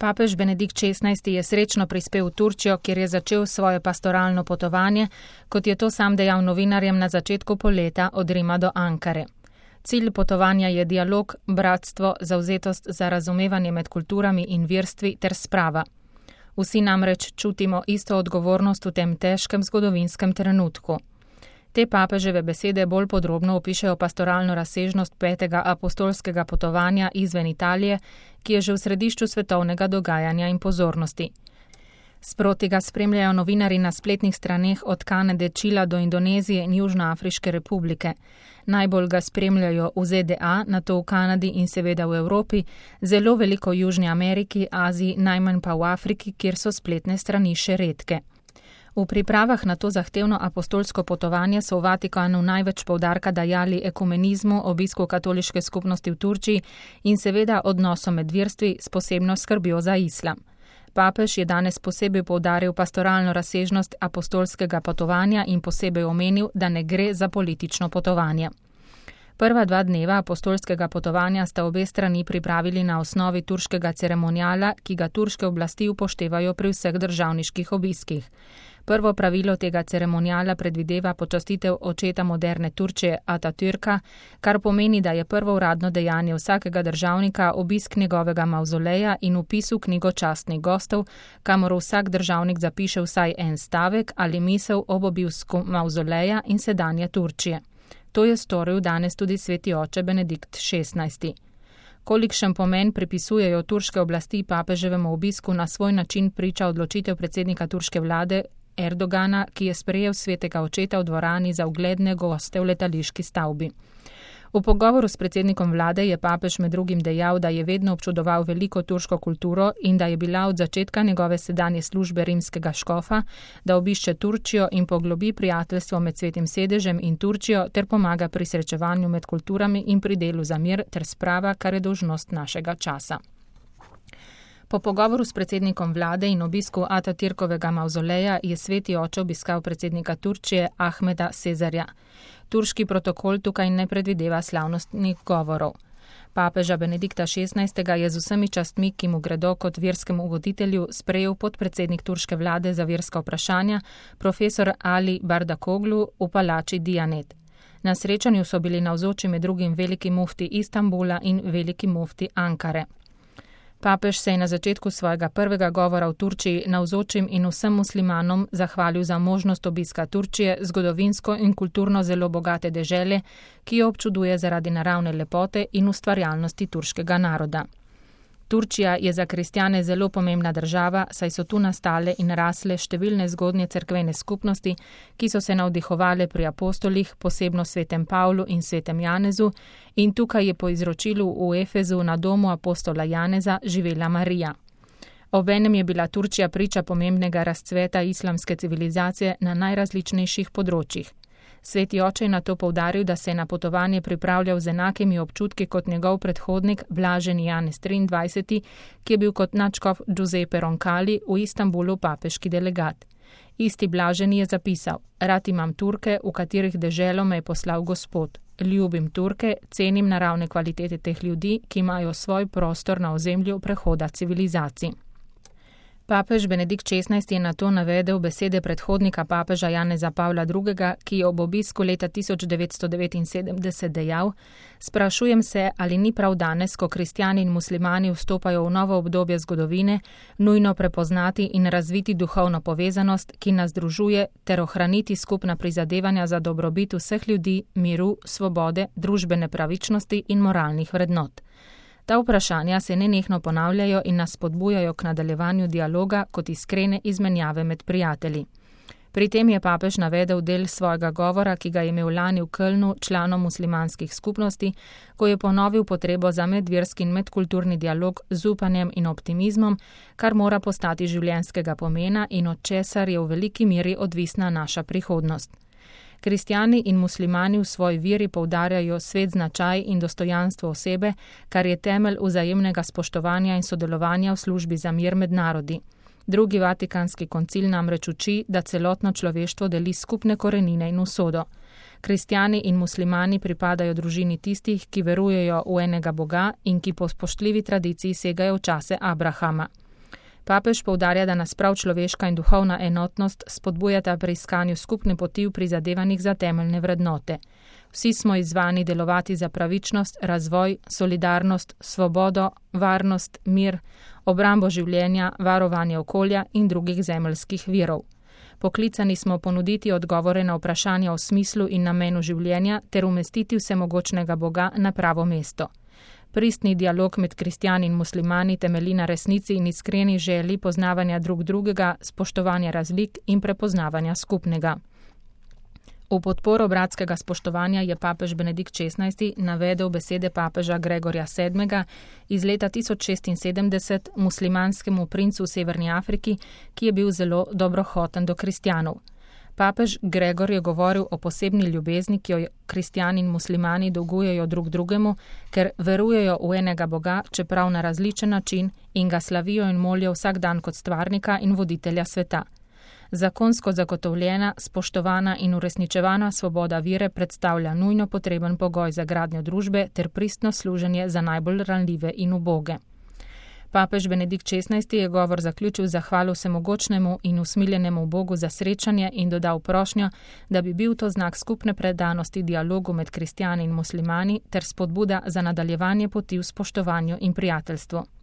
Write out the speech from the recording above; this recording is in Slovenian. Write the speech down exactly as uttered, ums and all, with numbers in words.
Papež Benedikt šestnajsti je srečno prispel v Turčijo, kjer je začel svoje pastoralno potovanje, kot je to sam dejal novinarjem na začetku poleta od Rima do Ankare. Cilj potovanja je dialog, bratstvo, zavzetost za razumevanje med kulturami in verstvi ter sprava. Vsi namreč čutimo isto odgovornost v tem težkem zgodovinskem trenutku. Te papeževe besede bolj podrobno opišejo pastoralno razsežnost petega apostolskega potovanja izven Italije, ki je že v središču svetovnega dogajanja in pozornosti. Sproti ga spremljajo novinari na spletnih straneh od Kanade, Čila do Indonezije in Južnoafriške republike. Najbolj ga spremljajo v Z D A, nato v Kanadi in seveda v Evropi, zelo veliko v Južni Ameriki, Aziji, najmanj pa v Afriki, kjer so spletne strani še redke. V pripravah na to zahtevno apostolsko potovanje so v Vatikanu največ poudarka dajali ekumenizmu, obisku katoliške skupnosti v Turčiji in seveda odnosom med verstvi s posebno skrbjo za islam. Papež je danes posebej poudaril pastoralno razsežnost apostolskega potovanja in posebej omenil, da ne gre za politično potovanje. Prva dva dneva apostolskega potovanja sta obe strani pripravili na osnovi turškega ceremoniala, ki ga turške oblasti upoštevajo pri vseh državniških obiskih. Prvo pravilo tega ceremoniala predvideva počastitev očeta moderne Turčije Atatürka, kar pomeni, da je prvo uradno dejanje vsakega državnika obisk njegovega mavzoleja in vpis v knjigo častnih gostov, kamor vsak državnik zapiše vsaj en stavek ali misel ob obisku mavzoleja in sedanje Turčije. To je storil danes tudi sveti oče Benedikt šestnajsti. Kolikšen pomen pripisujejo turške oblasti papeževemu obisku, na svoj način priča odločitev predsednika turške vlade Erdogana, ki je sprejel svetega očeta v dvorani za ugledne goste v letališki stavbi. V pogovoru s predsednikom vlade je papež med drugim dejal, da je vedno občudoval veliko turško kulturo in da je bila od začetka njegove sedanje službe rimskega škofa, da obišče Turčijo in poglobi prijateljstvo med Svetim sedežem in Turčijo ter pomaga pri srečevanju med kulturami in pri delu za mir ter sprava, kar je dolžnost našega časa. Po pogovoru s predsednikom vlade in obisku Atatürkovega mavzoleja je sveti oče obiskal predsednika Turčije Ahmeda Sezarja. Turški protokol tukaj ne predvideva slavnostnih govorov. Papeža Benedikta šestnajstega je z vsemi častmi, ki mu gredo kot verskemu voditelju, sprejel podpredsednik turške vlade za verska vprašanja, profesor Ali Bardakoglu v palači Dijanet. Na srečanju so bili navzoči med drugim veliki mufti Istanbula in veliki mufti Ankare. Papež se je na začetku svojega prvega govora v Turčiji navzočim in vsem muslimanom zahvalil za možnost obiska Turčije, zgodovinsko in kulturno zelo bogate dežele, ki jo občuduje zaradi naravne lepote in ustvarjalnosti turškega naroda. Turčija je za kristjane zelo pomembna država, saj so tu nastale in rasle številne zgodnje cerkvene skupnosti, ki so se navdihovale pri apostolih, posebno svetem Pavlu in svetem Janezu, in tukaj je po izročilu v Efezu na domu apostola Janeza živela Marija. Obenem je bila Turčija priča pomembnega razcveta islamske civilizacije na najrazličnejših področjih. Sveti oče je na to poudaril, da se je na potovanje pripravljal z enakimi občutki kot njegov predhodnik Blaženi Janez triindvajseti, ki je bil kot nadškof Giuseppe Roncalli v Istanbulu papeški delegat. Isti Blaženi je zapisal: Rad imam Turke, v katerih deželo me je poslal Gospod. Ljubim Turke, cenim naravne kvalitete teh ljudi, ki imajo svoj prostor na ozemlju prehoda civilizacij. Papež Benedikt šestnajsti je na to navedel besede predhodnika papeža Janeza Pavla drugega, ki je ob obisku leta tisoč devetsto devetinsedemdeset dejal: Sprašujem se, ali ni prav danes, ko kristjani in muslimani vstopajo v novo obdobje zgodovine, nujno prepoznati in razviti duhovno povezanost, ki nas združuje, ter ohraniti skupna prizadevanja za dobrobit vseh ljudi, miru, svobode, družbene pravičnosti in moralnih vrednot. Ta vprašanja se nenehno ponavljajo in nas spodbujajo k nadaljevanju dialoga kot iskrene izmenjave med prijatelji. Pri tem je papež navedel del svojega govora, ki ga je imel lani v Kölnu članom muslimanskih skupnosti, ko je ponovil potrebo za medverski in medkulturni dialog z upanjem in optimizmom, kar mora postati življenjskega pomena in od česar je v veliki meri odvisna naša prihodnost. Kristjani in muslimani v svoji veri poudarjajo svet značaj in dostojanstvo osebe, kar je temelj vzajemnega spoštovanja in sodelovanja v službi za mir med narodi. Drugi vatikanski koncil namreč uči, da celotno človeštvo deli skupne korenine in usodo. Kristjani in muslimani pripadajo družini tistih, ki verujejo v enega Boga in ki po spoštljivi tradiciji segajo v čase Abrahama. Papež poudarja, da nas prav človeška in duhovna enotnost spodbujata pri iskanju skupne poti v prizadevanjih za temeljne vrednote. Vsi smo izzvani delovati za pravičnost, razvoj, solidarnost, svobodo, varnost, mir, obrambo življenja, varovanje okolja in drugih zemeljskih virov. Poklicani smo ponuditi odgovore na vprašanja o smislu in namenu življenja ter umestiti vsemogočnega Boga na pravo mesto. Pristni dialog med kristjani in muslimani temelji na resnici in iskreni želji poznavanja drug drugega, spoštovanja razlik in prepoznavanja skupnega. V podporo bratskega spoštovanja je papež Benedikt šestnajsti navedel besede papeža Gregorja sedmega iz leta tisoč šestinsedemdeset muslimanskemu princu v Severni Afriki, ki je bil zelo dobrohoten do kristjanov. Papež Gregor je govoril o posebni ljubezni, ki jo kristjani in muslimani dolgujejo drug drugemu, ker verujejo v enega Boga, čeprav na različen način, in ga slavijo in molijo vsak dan kot stvarnika in voditelja sveta. Zakonsko zagotovljena, spoštovana in uresničevana svoboda vire predstavlja nujno potreben pogoj za gradnjo družbe ter pristno služenje za najbolj ranljive in uboge. Papež Benedikt šestnajsti je govor zaključil zahvalo vsemogočnemu in usmiljenemu Bogu za srečanje in dodal prošnjo, da bi bil to znak skupne predanosti dialogu med kristjani in muslimani ter spodbuda za nadaljevanje poti v spoštovanju in prijateljstvu.